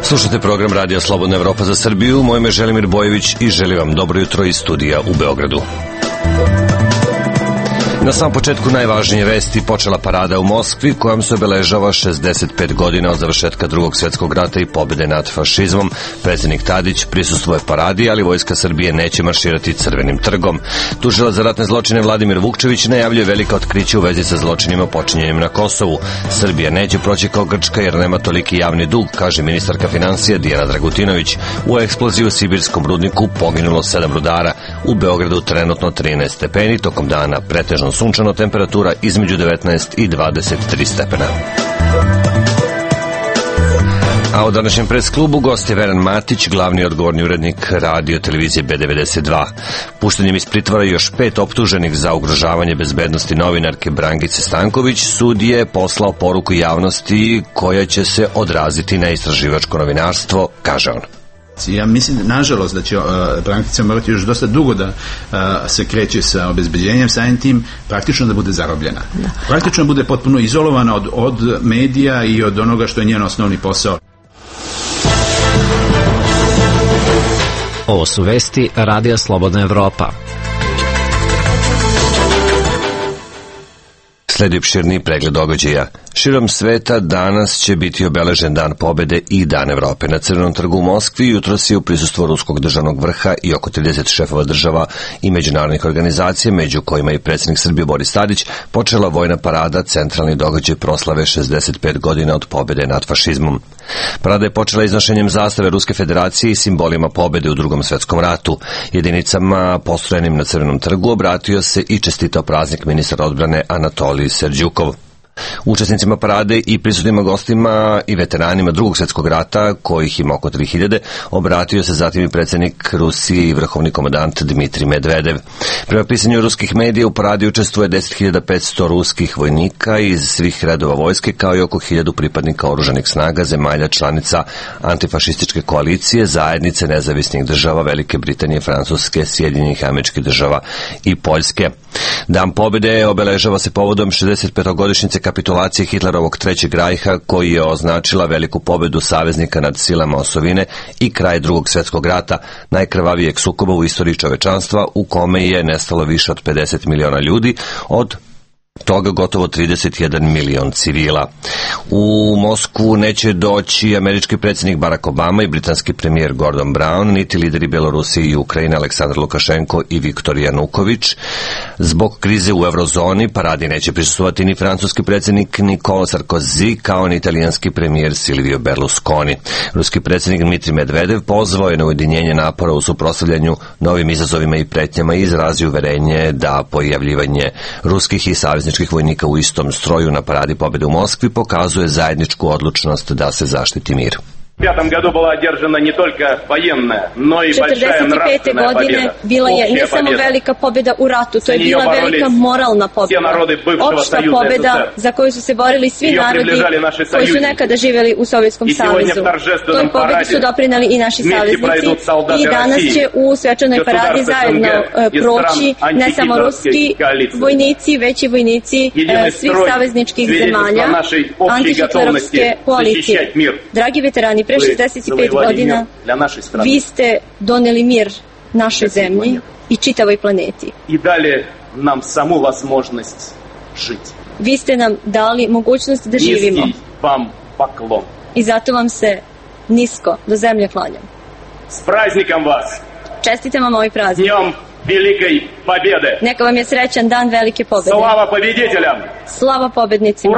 Slušate program Radio Slobodna Evropa za Srbiju. Moje ime je Želimir Bojević i želim vam dobro jutro iz studija u Beogradu. Na samom početku najvažnije vesti: počela parada u Moskvi kojom se obeležava 65 godina od završetka Drugog svjetskog rata i pobjede nad fašizmom. Predsjednik Tadić prisustvuje paradi, ali vojska Srbije neće marširati Crvenim trgom. Tužilac za ratne zločine Vladimir Vukčević najavljuje velika otkrića u vezi sa zločinima počinjenim na Kosovu. Srbija neće proći kao Grčka jer nema toliki javni dug, kaže ministarka financija Dijana Dragutinović. U eksploziji u sibirskom rudniku poginulo 7 rudara. U Beogradu trenutno 13 stepeni, tokom dana pretežno sunčano, temperatura između 19 i 23 stepena. A u današnjem presklubu gost je Veran Matić, glavni odgovorni urednik radio televizije B92. Puštanjem iz pritvora još 5 optuženih za ugrožavanje bezbednosti novinarke Brangice Stanković, sud je poslao poruku javnosti koja će se odraziti na istraživačko novinarstvo, kaže on. Ja mislim, nažalost, da će Brankica morati još dosta dugo da se kreće sa obezbeđenjem, samim tim praktično da bude zarobljena. Praktično bude potpuno izolovana od medija i od onoga što je njen osnovni posao. Ovo su vesti Radija Slobodna Evropa. Sledi opširni pregled događaja. Širom sveta danas će biti obeležen Dan pobjede i Dan Evrope. Na Crvenom trgu u Moskvi jutros je u prisustvu ruskog državnog vrha i oko 30 šefova država i međunarodnih organizacija, među kojima i predsjednik Srbije Boris Tadić, počela vojna parada, centralni događaj proslave 65 godina od pobjede nad fašizmom. Parada je počela iznošenjem zastave Ruske federacije i simbolima pobjede u Drugom svjetskom ratu. Jedinicama postrojenim na Crvenom trgu obratio se i čestitao praznik ministar odbrane Anatolij Serđukov. Učesnicima parade i prisutnima gostima i veteranima Drugog svjetskog rata, kojih ima oko 3000, obratio se zatim i predsjednik Rusije i vrhovni komandant Dmitrij Medvedev. Prema pisanju ruskih medija u paradi učestvuje 10.500 ruskih vojnika iz svih redova vojske, kao i oko 1000 pripadnika oružanih snaga zemalja članica antifašističke koalicije, zajednice nezavisnih država Velike Britanije, Francuske, Sjedinjenih Američkih Država i Poljske. Dan pobjede obeležava se povodom 65-godišnjice kapitulacije Hitlerovog Trećeg rajha, koji je označila veliku pobjedu saveznika nad silama osovine i kraj Drugog svjetskog rata, najkrvavijeg sukoba u istoriji čovečanstva, u kome je nestalo više od 50 miliona ljudi, od toga gotovo 31 milion civila. U Moskvu neće doći američki predsjednik Barack Obama i britanski premijer Gordon Brown, niti lideri Belorusije i Ukrajine Aleksandar Lukašenko i Viktor Januković. Zbog krize u eurozoni paradi neće prisustvovati ni francuski predsjednik Nicolas Sarkozy, kao ni italijanski premijer Silvio Berlusconi. Ruski predsjednik Dmitrij Medvedev pozvao je na ujedinjenje napora u suprotstavljanju novim izazovima i pretnjama i izrazio uverenje da pojavljivanje ruskih i savezničkih vojnika u istom stroju na paradi pobjede u Moskvi pokazuje zajedničku odlučnost da se zaštiti mir. В 1945 году была одержана не только военная, но и большая нравственная победа. Bila je ne samo velika pobjeda u ratu, to je bila velika moralna pobjeda. Opšta pobjeda za koju su se borili svi narodi koji su nekada živjeli u Sovjetskom savezu. Toj pobjedi su doprinali i naši saveznici i danas će u svečanoj paradi zajedno proći ne samo ruski vojnici, već i vojnici svih savezničkih zemalja antihitlerovske koalicije. Dragi veterani, pre 65 godina vi ste doneli mir našoj zemlji i čitavoj planeti. Vi ste nam dali mogućnost da živimo. I zato vam se nisko do zemlje klanjam. Čestitam vam ovaj praznik. Neka vam je srećan dan velike pobjede. Slava pobednicima.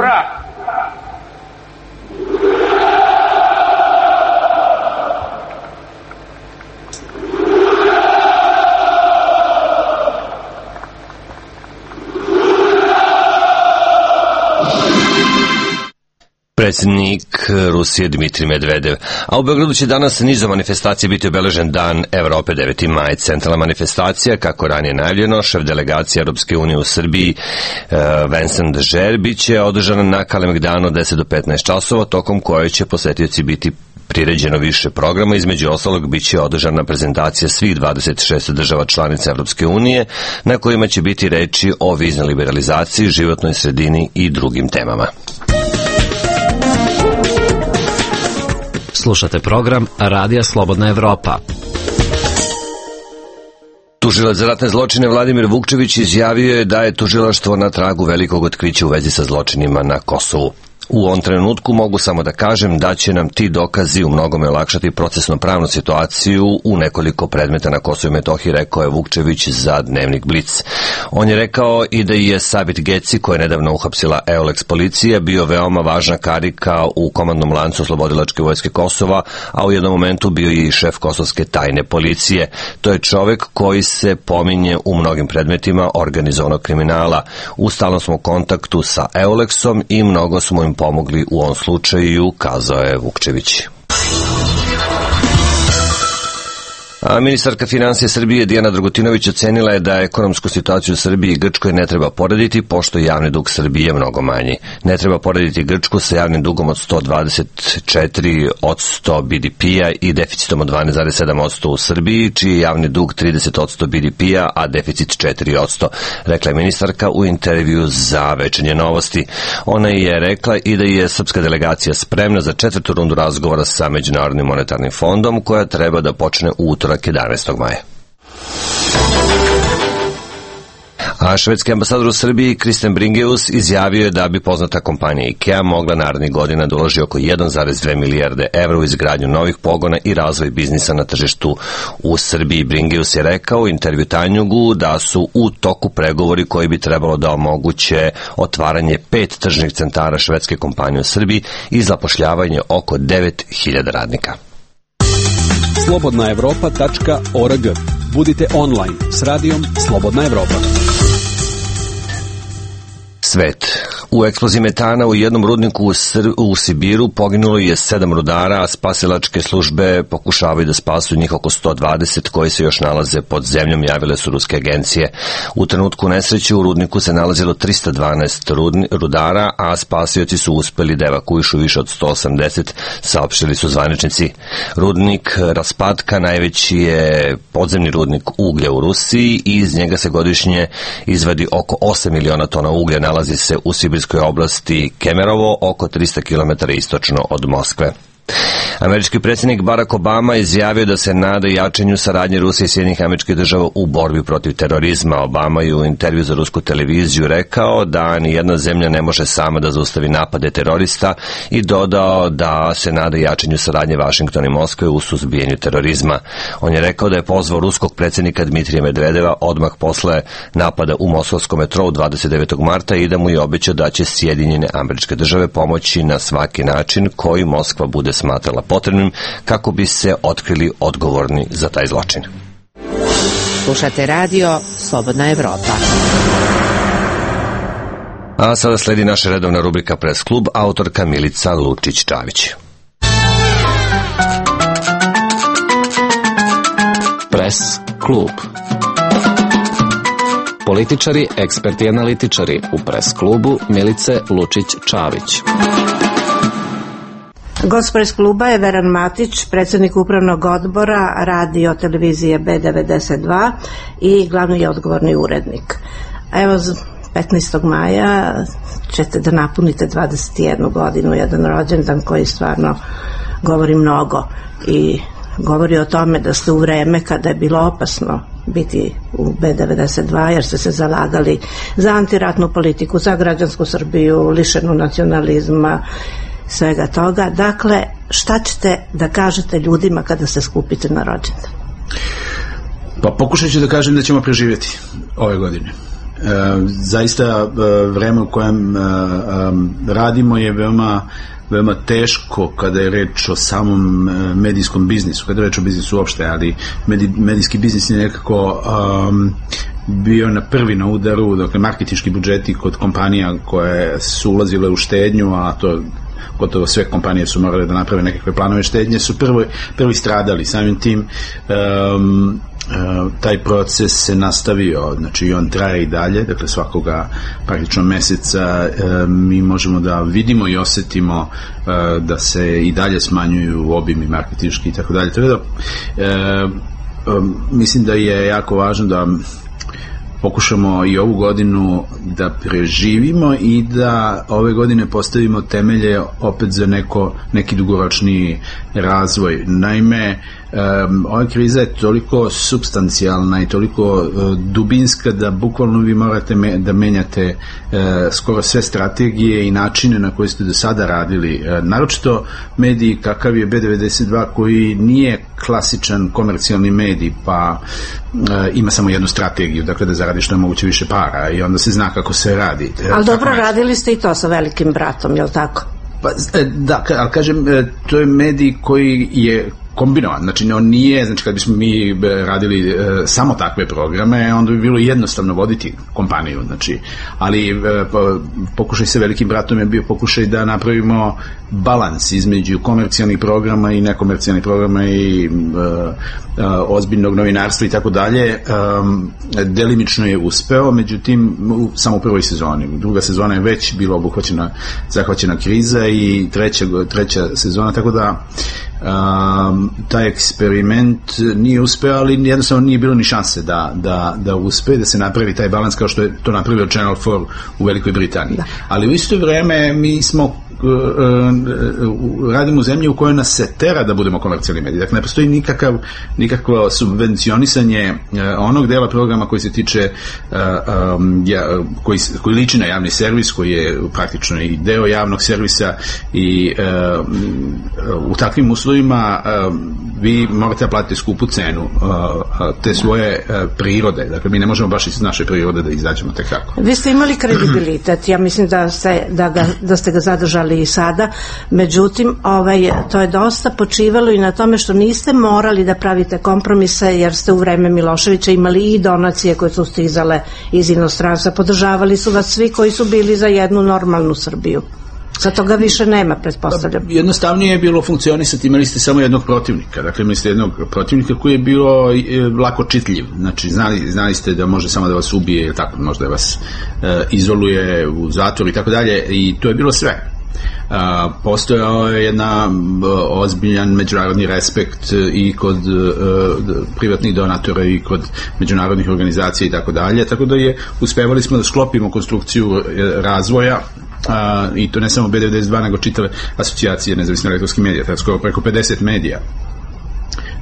Predsjednik Rusije Dmitrij Medvedev. A u Beogradu će danas nizom manifestacije biti obeležen Dan Evrope 9. maj. Centralna manifestacija, kako ranije najavljeno, šef delegacije Europske unije u Srbiji Vincent Dežer biće održana na Kalemegdanu 10 do 15 časova, tokom koje će posetioci biti priređeno više programa. Između ostalog biće održana prezentacija svih 26 država članica Evropske unije, na kojima će biti reči o viznoj liberalizaciji, životnoj sredini i drugim temama. Slušate program Radija Slobodna Evropa. Tužilac za ratne zločine Vladimir Vukčević izjavio je da je tužilaštvo na tragu velikog otkrića u vezi sa zločinima na Kosovu. U ovom trenutku mogu samo da kažem da će nam ti dokazi u mnogome olakšati procesno-pravnu situaciju u nekoliko predmeta na Kosovu i Metohiji, rekao je Vukčević za Dnevnik Blic. On je rekao i da je Sabit Geci, koja je nedavno uhapsila EOLEX policija, bio veoma važna karika u komandnom lancu Oslobodilačke vojske Kosova, a u jednom momentu bio je i šef kosovske tajne policije. To je čovek koji se pominje u mnogim predmetima organizovanog kriminala. U stalnom smo kontaktu sa EOLEX-om i mnogo smo im pomogli u ovom slučaju, kazao je Vukčević. A ministarka finansija Srbije Dijana Dragutinović ocenila je da ekonomsku situaciju u Srbiji i Grčkoj ne treba porediti, pošto javni dug Srbije mnogo manji. Ne treba porediti Grčku sa javnim dugom od 124% BDP-a i deficitom od 12,7% u Srbiji, čiji je javni dug 30% BDP-a, a deficit 4%, rekla je ministarka u intervju za Večernje novosti. Ona je rekla i da je srpska delegacija spremna za 4. rundu razgovora sa Međunarodnim monetarnim fondom, koja treba da počne u utorak 11. maja. A švedski ambasador u Srbiji Kristen Bringeus izjavio je da bi poznata kompanija IKEA mogla narednih godina da uloži oko 1,2 milijarde evra u izgradnju novih pogona i razvoj biznisa na tržištu u Srbiji. Bringeus je rekao u intervju Tanjugu da su u toku pregovori koji bi trebalo da omoguće otvaranje 5 tržnih centara švedske kompanije u Srbiji i zapošljavanje oko 9.000 radnika. slobodnaevropa.org. Budite online s radijom Slobodna Evropa. Svet. U eksploziji metana u jednom rudniku u Sibiru poginulo je 7 rudara, a spasilačke službe pokušavaju da spasu njih oko 120 koji se još nalaze pod zemljom, javile su ruske agencije. U trenutku nesreće u rudniku se nalazilo 312 rudara, a spasioci su uspeli da evakuišu više od 180, saopštili su zvaničnici. Rudnik Raspatka najveći je podzemni rudnik uglja u Rusiji i iz njega se godišnje izvadi oko 8 miliona tona uglja. Nalazi se u sibirskoj oblasti Kemerovo, oko 300 km istočno od Moskve. Američki predsjednik Barack Obama izjavio da se nada jačanju saradnje Rusije i Sjedinjenih Američkih Država u borbi protiv terorizma. Obama je u intervju za rusku televiziju rekao da nijedna zemlja ne može sama da zaustavi napade terorista i dodao da se nada jačanju saradnje Vašingtona i Moskve u suzbijanju terorizma. On je rekao da je pozvao ruskog predsjednika Dmitrija Medvedeva odmah posle napada u moskovskom metrou 29. marta i da mu je obećao da će Sjedinjene Američke Države pomoći na svaki način koji Moskva bude smatrala potrebnim kako bi se otkrili odgovorni za taj zločin. Slušate radio Slobodna Evropa. A sada sledi naša redovna rubrika Press klub, autorka Milica Lučić-Čavić. Press klub. Političari, eksperti i analitičari u Press klubu Milice Lučić-Čavić. Gost Press kluba je Veran Matić, predsjednik upravnog odbora radio televizije B92 i glavni je odgovorni urednik. Evo, 15. maja ćete da napunite 21 godinu, jedan rođendan koji stvarno govori mnogo i govori o tome da ste u vreme kada je bilo opasno biti u B92 jer ste se zalagali za antiratnu politiku, za građansku Srbiju, lišenu nacionalizma, svega toga. Dakle, šta ćete da kažete ljudima kada se skupite na rođendan? Pa pokušat ću da kažem da ćemo preživjeti ove godine. Zaista vreme u kojem radimo je veoma teško kada je reč o samom medijskom biznisu, kada je reč o biznisu uopšte, ali medijski biznis je nekako bio prvi na udaru, dakle marketinški budžeti kod kompanija koje su ulazile u štednju, a to gotovo sve kompanije su morale da naprave nekakve planove štednje, su prvi stradali. Samim tim taj proces se nastavio, znači on traje i dalje, dakle svakoga praktično meseca mi možemo da vidimo i osetimo da se i dalje smanjuju obimi marketinški i tako dalje. Mislim da je jako važno da pokušamo i ovu godinu da preživimo i da ove godine postavimo temelje opet za neki dugoročni razvoj. Naime, ova kriza je toliko supstancijalna i toliko dubinska da bukvalno vi morate da menjate skoro sve strategije i načine na koje ste do sada radili. Naročito mediji kakav je B92 koji nije klasičan komercijalni medij, pa ima samo jednu strategiju, dakle da zaradi što je moguće više para i onda se zna kako se radi. Ali dobro, radili ste i to sa Velikim bratom, je li tako? Pa, da, ali kažem, to je medij koji je kombinovan, znači on nije, znači kad bismo mi radili samo takve programe, onda bi bilo jednostavno voditi kompaniju, znači, ali pokušaj sa Velikim bratom je bio pokušaj da napravimo balans između komercijalnih programa i nekomercijalnih programa i ozbiljnog novinarstva i tako dalje. Delimično je uspeo, međutim samo u prvoj sezoni. Druga sezona je već bila zahvaćena kriza i treća sezona, tako da taj eksperiment nije uspeo, ali jednostavno nije bilo ni šanse da uspe, da se napravi taj balans kao što je to napravio Channel 4 u Velikoj Britaniji. Da. Ali u isto vreme mi smo radimo u zemlji u kojoj nas se tera da budemo komercijalni mediji. Dakle, ne postoji nikakvo subvencionisanje onog dela programa koji se tiče koji liči na javni servis, koji je praktično i deo javnog servisa i u takvim uslovima vi morate da platite skupu cenu te svoje prirode. Dakle, mi ne možemo baš iz naše prirode da izađemo tek tako. Vi ste imali kredibilitet, ja mislim da ste ga zadržali i sada, međutim to je dosta počivalo i na tome što niste morali da pravite kompromise, jer ste u vreme Miloševića imali i donacije koje su stizale iz inostranstva, podržavali su vas svi koji su bili za jednu normalnu Srbiju. Sad toga više nema, pretpostavljam. Jednostavnije je bilo funkcionisati, imali ste samo jednog protivnika. Dakle, imali ste jednog protivnika koji je bio lako čitljiv. Znači, znali ste da može samo da vas ubije ili tako, možda da vas izoluje u zatvor i tako dalje, i to je bilo sve. Postojao je jedna ozbiljan međunarodni respekt i kod privatnih donatora i kod međunarodnih organizacija i tako dalje, tako da uspevali smo da sklopimo konstrukciju razvoja, i to ne samo B92 nego čitave asocijacije nezavisnih elektronskih medija, tako skoro preko 50 medija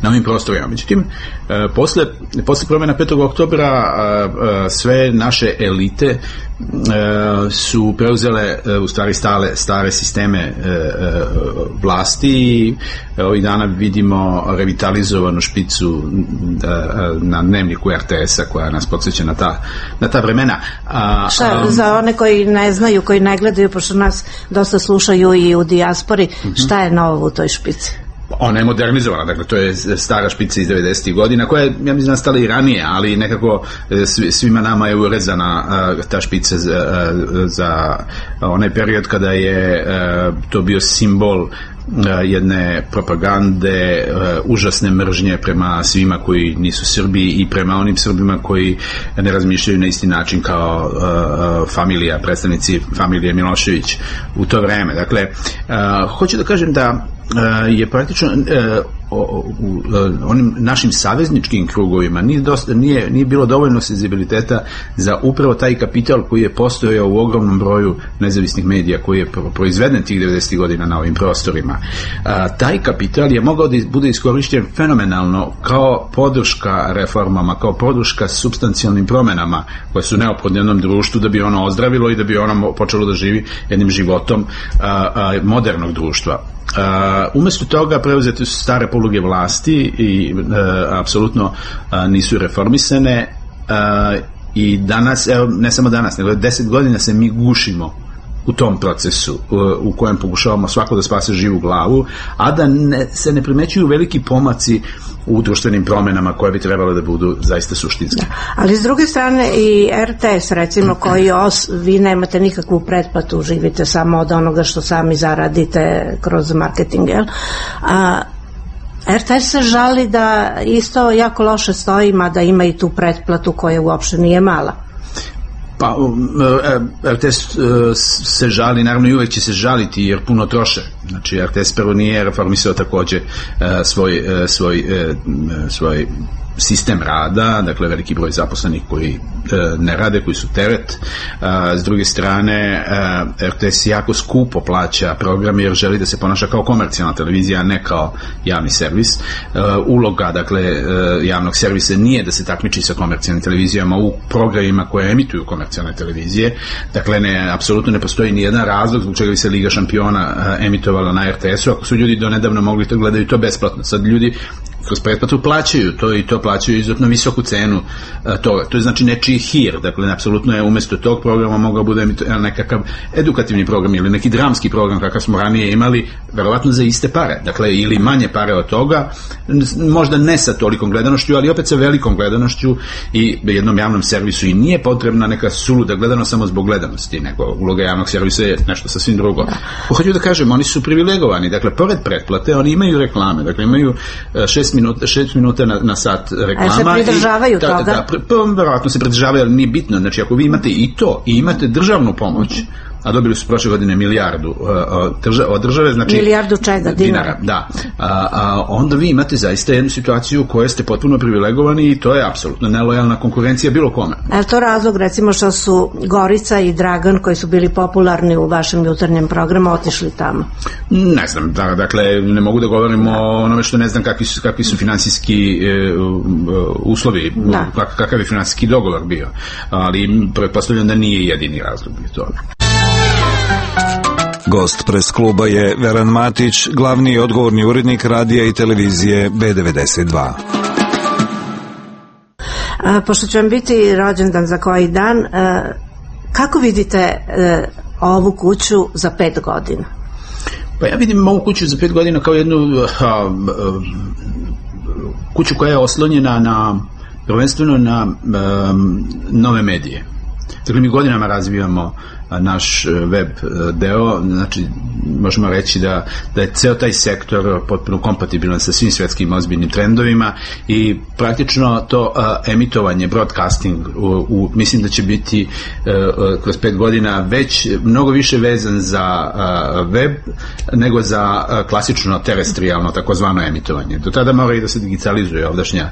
na ovim prostorima. Međutim, posle promjena 5. oktobra sve naše elite su preuzele u stvari stare sisteme vlasti i ovih dana vidimo revitalizovanu špicu na dnevniku RTS-a koja nas podsjeća na ta vremena. Za one koji ne znaju, koji ne gledaju, pošto nas dosta slušaju i u dijaspori, šta je novo u toj špici? Ona je modernizovana, dakle to je stara špica iz 90. godina koja je, ja mislim, nastala i ranije, ali nekako svima nama je urezana ta špica za onaj period kada je to bio simbol jedne propagande, užasne mržnje prema svima koji nisu Srbi i prema onim Srbima koji ne razmišljaju na isti način kao predstavnici familije Milošević u to vreme. Dakle, hoću da kažem da je praktično u onim našim savezničkim krugovima nije bilo dovoljno senzibiliteta za upravo taj kapital koji je postojao u ogromnom broju nezavisnih medija koji je proizveden tih 90. godina na ovim prostorima. Taj kapital je mogao da bude iskorišćen fenomenalno kao podrška reformama, kao podrška supstancijalnim promenama koje su neophodne jednom društvu da bi ono ozdravilo i da bi ono počelo da živi jednim životom modernog društva. Umesto toga preuzete su stare poluge vlasti i apsolutno nisu reformisane i danas, evo, ne samo danas, nego 10 godina se mi gušimo u tom procesu u kojem pokušavamo svako da spase živu glavu, a da se ne primećuju veliki pomaci u društvenim promenama koje bi trebalo da budu zaista suštinske. Da. Ali s druge strane i RTS, recimo, koji vi nemate nikakvu pretplatu, živite samo od onoga što sami zaradite kroz marketing, jel? RTS se žali da isto jako loše stoji, mada ima i tu pretplatu koja uopšte nije mala. Pa, RTS se žali, naravno i uvek će se žaliti jer puno troše. Znači, RTS prvo nije reformisao takođe svoj sistem rada, dakle veliki broj zaposlenih koji ne rade, koji su teret. S druge strane, RTS jako skupo plaća program jer želi da se ponaša kao komercijalna televizija, a ne kao javni servis. Uloga, dakle, javnog servisa nije da se takmiči sa komercijalnim televizijama u programima koje emituju komercijalne televizije. Dakle, apsolutno ne postoji ni jedan razlog zbog čega bi se Liga šampiona emitovala na RTS-u, ako su ljudi donedavno mogli to gledaju to besplatno. Sad ljudi kroz pretplatu plaćaju to i to plaćaju izuzetno visoku cenu toga. To je znači nečiji hir, dakle, apsolutno je umesto tog programa mogao bude nekakav edukativni program ili neki dramski program kakav smo ranije imali, verovatno za iste pare, dakle, ili manje pare od toga, možda ne sa tolikom gledanošću, ali opet sa velikom gledanošću i jednom javnom servisu i nije potrebna neka suluda gledanost samo zbog gledanosti, nego uloga javnog servisa je nešto sasvim drugo. Hoću da kažem, oni su privilegovani, dakle, pored pretplate, oni imaju reklame, dakle, imaju 6 minuta na sat reklama. A se pridržavaju toga? Verovatno se pridržavaju, ali nije bitno. Znači, ako vi imate i to, i imate državnu pomoć, a dobili su prošle godine milijardu od države, znači... Milijardu čega? Dinara. Da. Onda vi imate zaista jednu situaciju u kojoj ste potpuno privilegovani i to je apsolutno nelojalna konkurencija bilo kome. Je to razlog, recimo, što su Gorica i Dragan, koji su bili popularni u vašem jutarnjem programu, otišli tamo? Ne znam, dakle, ne mogu da govorim o onome što ne znam kakvi su finansijski uslovi, kakav je finansijski dogovor bio, ali pretpostavljam da nije jedini razlog bio toga. Gost Pres kluba je Veran Matić, glavni i odgovorni urednik radija i televizije B92. Pošto će vam biti rođendan za koji dan, kako vidite ovu kuću za 5 godina? Pa ja vidim ovu kuću za 5 godina kao jednu kuću koja je oslonjena prvenstveno na nove medije. Dakle, mi godinama razvijamo naš web deo, znači možemo reći da je ceo taj sektor potpuno kompatibilan sa svim svetskim ozbiljnim trendovima i praktično to emitovanje, broadcasting mislim da će biti kroz 5 godina već mnogo više vezan za web nego za klasično terestrijalno takozvano emitovanje. Do tada mora i da se digitalizuje ovdašnja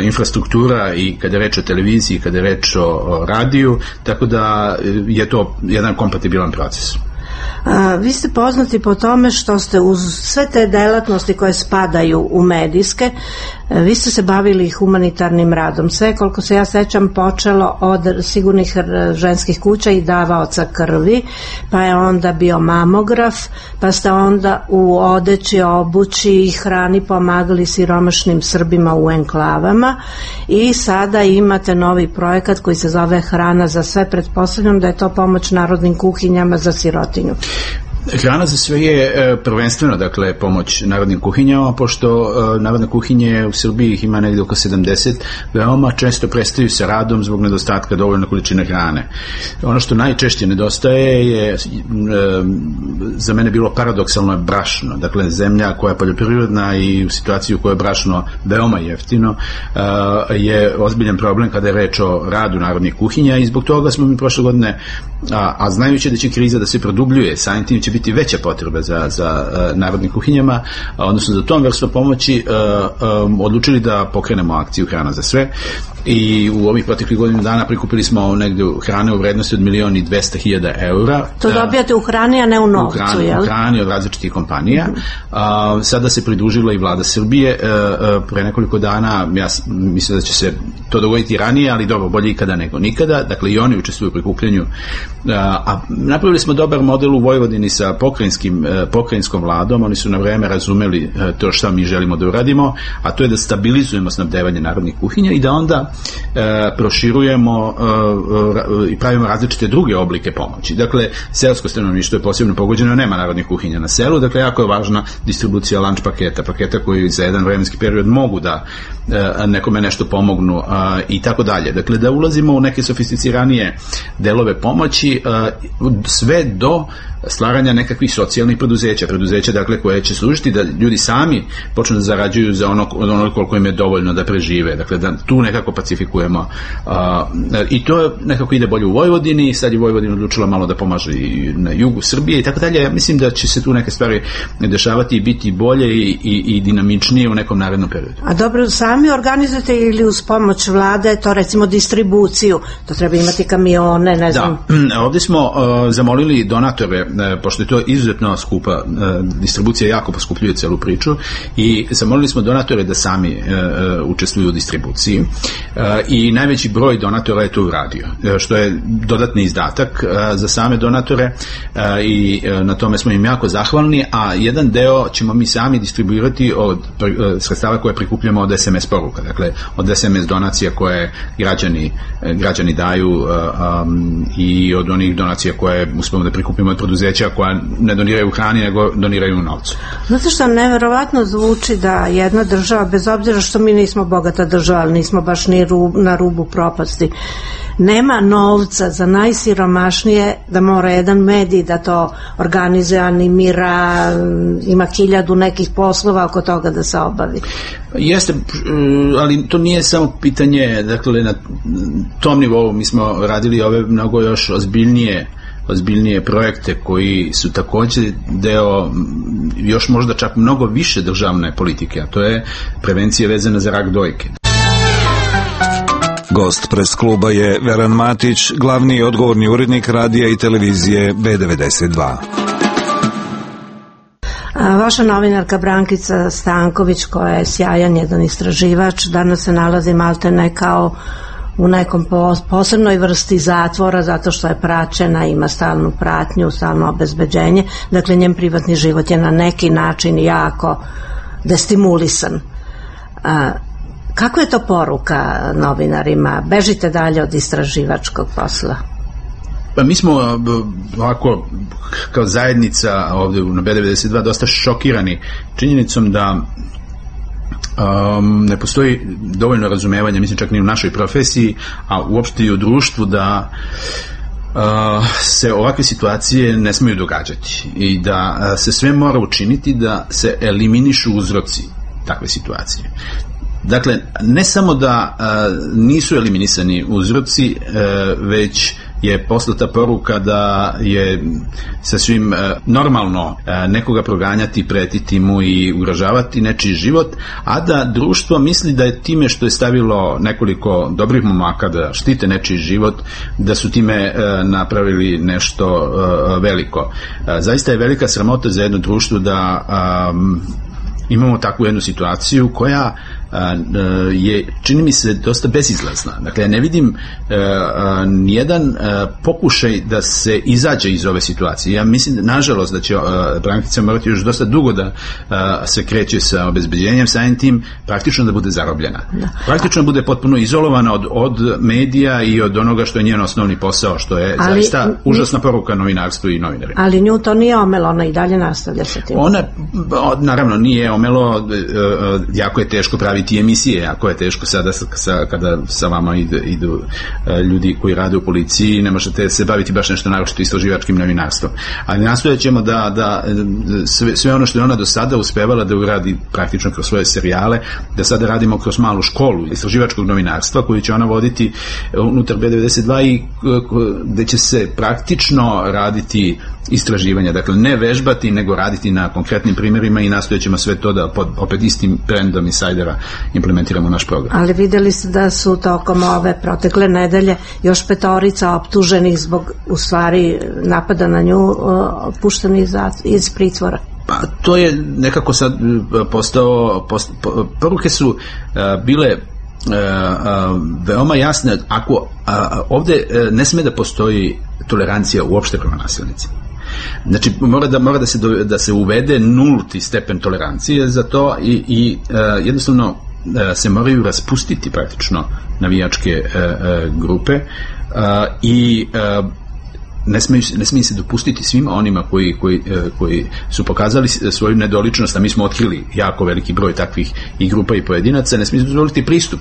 infrastruktura i kada je reč o televiziji, kada je reč o radiju, tako da je to jedan kompatibilan proces. Vi ste poznati po tome što ste uz sve te delatnosti koje spadaju u medijske, vi ste se bavili humanitarnim radom. Sve, koliko se ja sećam, počelo od sigurnih ženskih kuća i davaoca krvi, pa je onda bio mamograf, pa ste onda u odeći, obući i hrani pomagali siromašnim Srbima u enklavama i sada imate novi projekat koji se zove Hrana za sve. Pretpostavljam da je to pomoć narodnim kuhinjama za sirotinju. Hrana za sve je prvenstveno, dakle, pomoć narodnim kuhinjama, pošto narodne kuhinje u Srbiji ih ima negde oko 70, veoma često prestaju sa radom zbog nedostatka dovoljne količine hrane. Ono što najčešće nedostaje je za mene bilo paradoksalno brašno, dakle, zemlja koja je poljoprivredna i u situaciji u kojoj je brašno veoma jeftino je ozbiljan problem kada je reč o radu narodnih kuhinja i zbog toga smo mi prošle godine, a znajući da će kriza da se produbljuje, samim tim će biti veća potreba za narodnim kuhinjama, odnosno za tom vrstu pomoći, odlučili da pokrenemo akciju Hrana za sve i u ovih proteklih godinu dana prikupili smo negde hrane u vrednosti od 1.200.000 eura. To dobijate u hrani, a ne u novcu, jel? U hrani od različitih kompanija. Sada se pridružila i vlada Srbije. Pre nekoliko dana, ja mislim da će se to dogoditi ranije, ali dobro, bolje ikada nego nikada. Dakle, i oni učestvuju u prikupljanju. A napravili smo dobar model u Vojvodini sa pokrajinskom vladom. Oni su na vreme razumeli to što mi želimo da uradimo, a to je da stabilizujemo snabdevanje narodnih kuhinja i da onda proširujemo i pravimo različite druge oblike pomoći. Dakle, seosko stanovništvo je posebno pogođeno, nema narodnih kuhinja na selu, dakle, jako je važna distribucija lunch paketa koji za jedan vremenski period mogu da nekome nešto pomognu i tako dalje. Dakle, da ulazimo u neke sofisticiranije delove pomoći, sve do stvaranja nekakvih socijalnih preduzeća dakle koje će služiti da ljudi sami počnu da zarađuju za ono koliko im je dovoljno da prežive, dakle da tu nekako pacifikujemo i to nekako ide bolje u Vojvodini, sad je Vojvodina odlučila malo da pomaže i na jugu Srbije i tako dalje. Ja mislim da će se tu neke stvari dešavati i biti bolje i dinamičnije u nekom narednom periodu. A dobro, sami organizujete ili uz pomoć vlade, to recimo distribuciju, to treba imati kamione, ne znam. Da, ovdje smo zamolili donatore, pošto je to izuzetno skupa, distribucija jako poskupljuje celu priču i zamolili smo donatore da sami učestvuju u distribuciji i najveći broj donatora je to uradio, što je dodatni izdatak za same donatore i na tome smo im jako zahvalni, a jedan deo ćemo mi sami distribuirati od sredstava koje prikupljamo od SMS poruka, dakle od SMS donacija koje građani daju i od onih donacija koje uspemo da prikupimo od preduzeća koja ne doniraju hrani nego doniraju u novcu. Znate što neverovatno zvuči da jedna država, bez obzira što mi nismo bogata država, ali nismo baš ni na rubu propasti, nema novca za najsiromašnije, da mora jedan medij da to organizuje, animira, ima 1000 nekih poslova oko toga da se obavi. Jeste, ali to nije samo pitanje, dakle na tom nivou mi smo radili ove mnogo još ozbiljnije projekte koji su također deo još možda čak mnogo više državne politike, a to je prevencija vezana za rak dojke. Gost pres kluba je Veran Matić, glavni i odgovorni urednik radija i televizije B92. Vaša novinarka Brankica Stanković, koja je sjajan jedan istraživač, danas se nalazi maltene kao u nekom posebnoj vrsti zatvora zato što je praćena, ima stalnu pratnju, stalno obezbeđenje, dakle njen privatni život je na neki način jako destimulisan. Kako je to poruka novinarima? Bežite dalje od istraživačkog posla. Pa mi smo ovako kao zajednica ovdje na B92 dosta šokirani činjenicom da ne postoji dovoljno razumevanja, mislim čak ni u našoj profesiji, a uopšte i u društvu da se ovakve situacije ne smiju događati i da se sve mora učiniti da se eliminišu uzroci takve situacije. Dakle, ne samo da nisu eliminisani uzroci, već je poslata poruka da je sasvim normalno nekoga proganjati, pretiti mu i ugrožavati nečiji život, a da društvo misli da je time što je stavilo nekoliko dobrih momaka da štite nečiji život, da su time napravili nešto veliko. Zaista je velika sramota za jedno društvo da imamo takvu jednu situaciju koja je, čini mi se, dosta bezizlazna. Dakle, ja ne vidim nijedan pokušaj da se izađe iz ove situacije. Ja mislim, nažalost, da će Brankica morati još dosta dugo da se kreće sa obezbeđenjem, samim tim praktično da bude zarobljena. Praktično bude potpuno izolovana od medija i od onoga što je njen osnovni posao, što je zaista užasna poruka novinarstvu i novinarima. Ali nju to nije omelo, ona i dalje nastavlja sa tim. Ona, naravno, nije omelo, jako je teško praviti emisije, jako je teško sada kada sa vama idu ljudi koji rade u policiji, ne možete se baviti baš nešto naročito istraživačkim novinarstvom. Ali nastojat ćemo da sve ono što je ona do sada uspevala da uradi praktično kroz svoje serijale, da sada radimo kroz malu školu istraživačkog novinarstva koju će ona voditi unutar B92 i gde će se praktično raditi istraživanja, dakle ne vežbati nego raditi na konkretnim primjerima i nastojat ćemo sve to da opet istim trendom insajdera implementiramo u naš program. Ali videli ste da su tokom ove protekle nedelje još 5 optuženih zbog u stvari napada na nju pušteni iz pritvora. Pa to je nekako sad postao poruke su bile veoma jasne. Ako ovdje ne sme da postoji tolerancija uopšte prema nasilnicima. Znači mora da se uvede nulti stepen tolerancije za to i jednostavno se moraju raspustiti praktično navijačke grupe i ne smije se dopustiti svima onima koji su pokazali svoju nedoličnost, a mi smo otkrili jako veliki broj takvih i grupa i pojedinaca, ne smije se dozvoliti pristup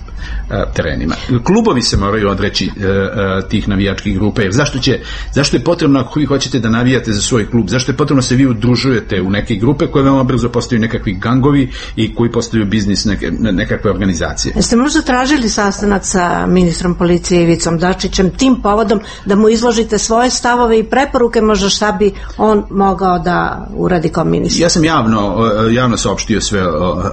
terenima. Klubovi se moraju odreći tih navijačkih grupa, jer zašto je potrebno, ako vi hoćete da navijate za svoj klub, zašto je potrebno se vi udružujete u neke grupe koje veoma brzo postaju nekakvi gangovi i koji postaju biznis, nekakve organizacije. Jeste možda tražili sastanak sa ministrom policije Ivicom Dačićem tim povodom da mu izložite svoje stavove i preporuke, možda šta bi on mogao da uradi kao ministar? Ja sam javno saopštio sve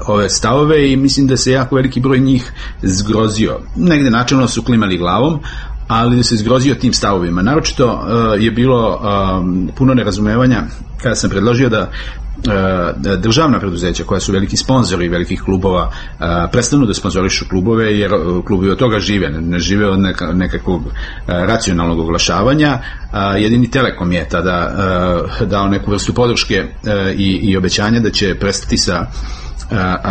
ove stavove i mislim da se jako veliki broj njih zgrozio. Negde načelno su klimali glavom, ali da se zgrozio tim stavovima. Naročito je bilo puno nerazumevanja kada sam predložio da državna preduzeća koja su veliki sponzori velikih klubova prestanu da sponzorišu klubove, jer klubovi od toga žive, ne žive od nekakvog racionalnog oglašavanja. Jedini Telekom je tada dao neku vrstu podrške i obećanja da će prestati sa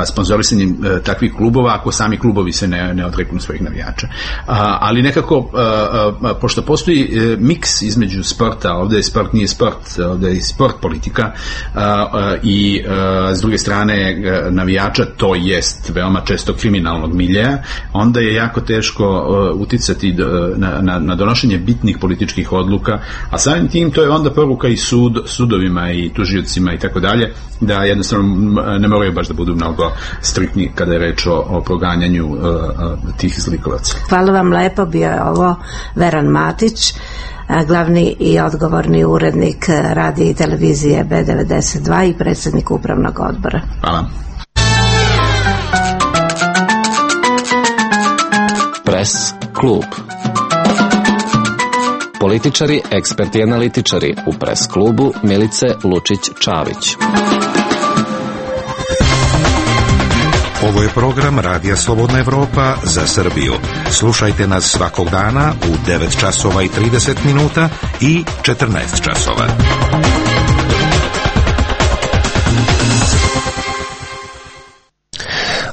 sponzorisanjem takvih klubova ako sami klubovi se ne odreknu svojih navijača. Ali nekako, pošto postoji miks između sporta, ovdje sport nije sport, ovdje je sport politika, i s druge strane navijača, to jest veoma često kriminalnog miljeja, onda je jako teško uticati na donošenje bitnih političkih odluka, a samim tim to je onda poruka i sudovima i tužiocima i tako dalje, da jednostavno ne moraju baš da budu mnogo striktni kada je reč o proganjanju tih zlikovaca. Hvala vam lepo, bio je ovo Veran Matić, glavni i odgovorni urednik radija i televizije B92 i predsjednik upravnog odbora. Hvala. Press klub. Političari, eksperti i analitičari u Press klubu Milice Lučić-Čavić. Ovo je program Radija Slobodna Evropa za Srbiju. Slušajte nas svakog dana u 9 časova i 30 minuta i 14 časova.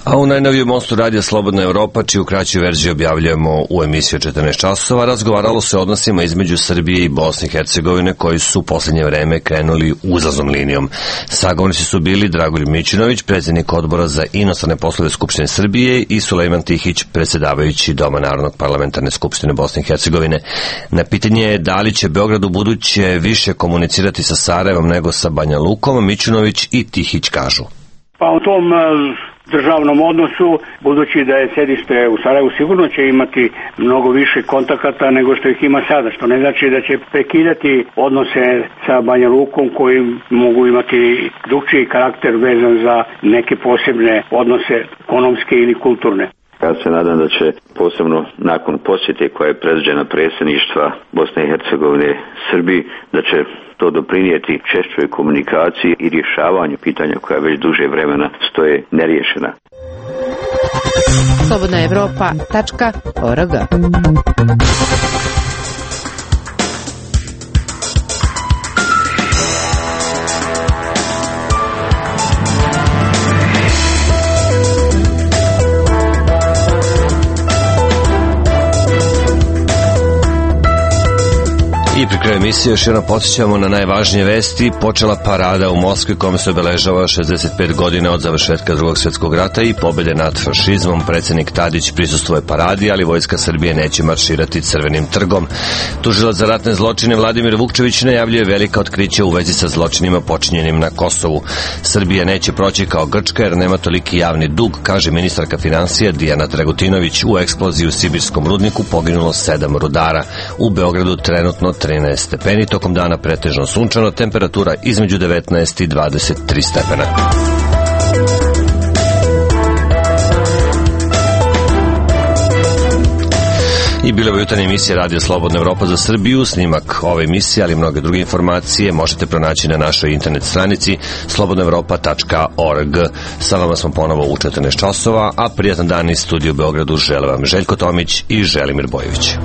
A u najnovijem mostu Radija Slobodna Evropa, čiju kraću verziju objavljujemo u emisiju 14 časova, razgovaralo se o odnosima između Srbije i Bosne i Hercegovine koji su u posljednje vreme krenuli uzlaznom linijom. Sagovornici su bili Dragoljub Mićunović, predsjednik odbora za inostrane poslove Skupštine Srbije, i Sulejman Tihić, predsjedavajući Doma Narodnog parlamentarne skupštine Bosne i Hercegovine. Na pitanje da li će Beograd u buduće više komunicirati sa Sarajevom nego sa Banja Lukom, Mićunović i Tihić kažu. Pa u tom državnom odnosu, budući da je sedište u Sarajevu, sigurno će imati mnogo više kontakata nego što ih ima sada, što ne znači da će prekidati odnose sa Banja Lukom koji mogu imati drugčiji karakter vezan za neke posebne odnose ekonomske ili kulturne. Ja se nadam da će posebno nakon posjete koja je predviđena predsjedništva Bosne i Hercegovine Srbiji, da će to doprinijeti češćoj komunikaciji i rješavanju pitanja koja već duže vremena stoje neriješena. slobodnaevropa.org. I pri kraju emisije još jedno podsjećamo na najvažnije vesti. Počela parada u Moskvi kome se obeležava 65 godina od završetka Drugog svjetskog rata i pobjede nad fašizmom. Predsjednik Tadić prisustvuje paradi, ali vojska Srbije neće marširati Crvenim trgom. Tužilac za ratne zločine Vladimir Vukčević najavljuje velika otkrića u vezi sa zločinima počinjenim na Kosovu. Srbija neće proći kao Grčka jer nema toliki javni dug, kaže ministarka financija Dijana Dragutinović. U eksploziji u sibirskom rudniku poginulo 7 rudara. U Beogradu trenutno 13 stepeni, tokom dana pretežno sunčano, temperatura između 19 i 23 stepena. I bila je jutarnja emisija Radija Slobodna Evropa za Srbiju. Snimak ove emisije, ali i mnoge druge informacije možete pronaći na našoj internet stranici slobodnaevropa.org. Sa vama smo ponovo u 14 časova, a prijatan dan iz studiju u Beogradu žele vam Željko Tomić i Želimir Bojović.